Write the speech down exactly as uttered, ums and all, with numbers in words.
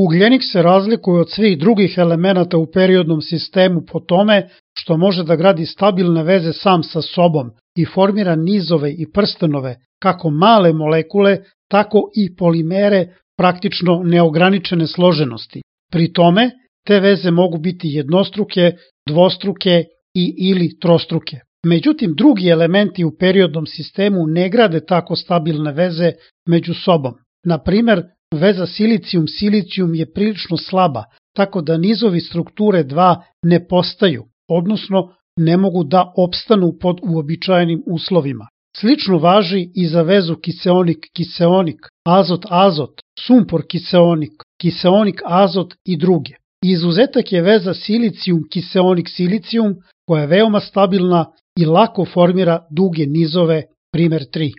Ugljenik se razlikuje od svih drugih elemenata u periodnom sistemu po tome što može da gradi stabilne veze sam sa sobom i formira nizove i prstenove, kako male molekule, tako i polimere praktično neograničene složenosti. Pri tome, te veze mogu biti jednostruke, dvostruke i ili trostruke. Međutim, drugi elementi u periodnom sistemu ne grade tako stabilne veze među sobom. Na primer, veza silicijum-silicijum je prilično slaba, tako da nizovi strukture dva ne postaju, odnosno ne mogu da opstanu pod uobičajenim uslovima. Slično važi i za vezu kiseonik-kiseonik, azot-azot, sumpor-kiseonik, kiseonik-azot i druge. Izuzetak je veza silicijum-kiseonik-silicijum koja je veoma stabilna i lako formira duge nizove, primer tri.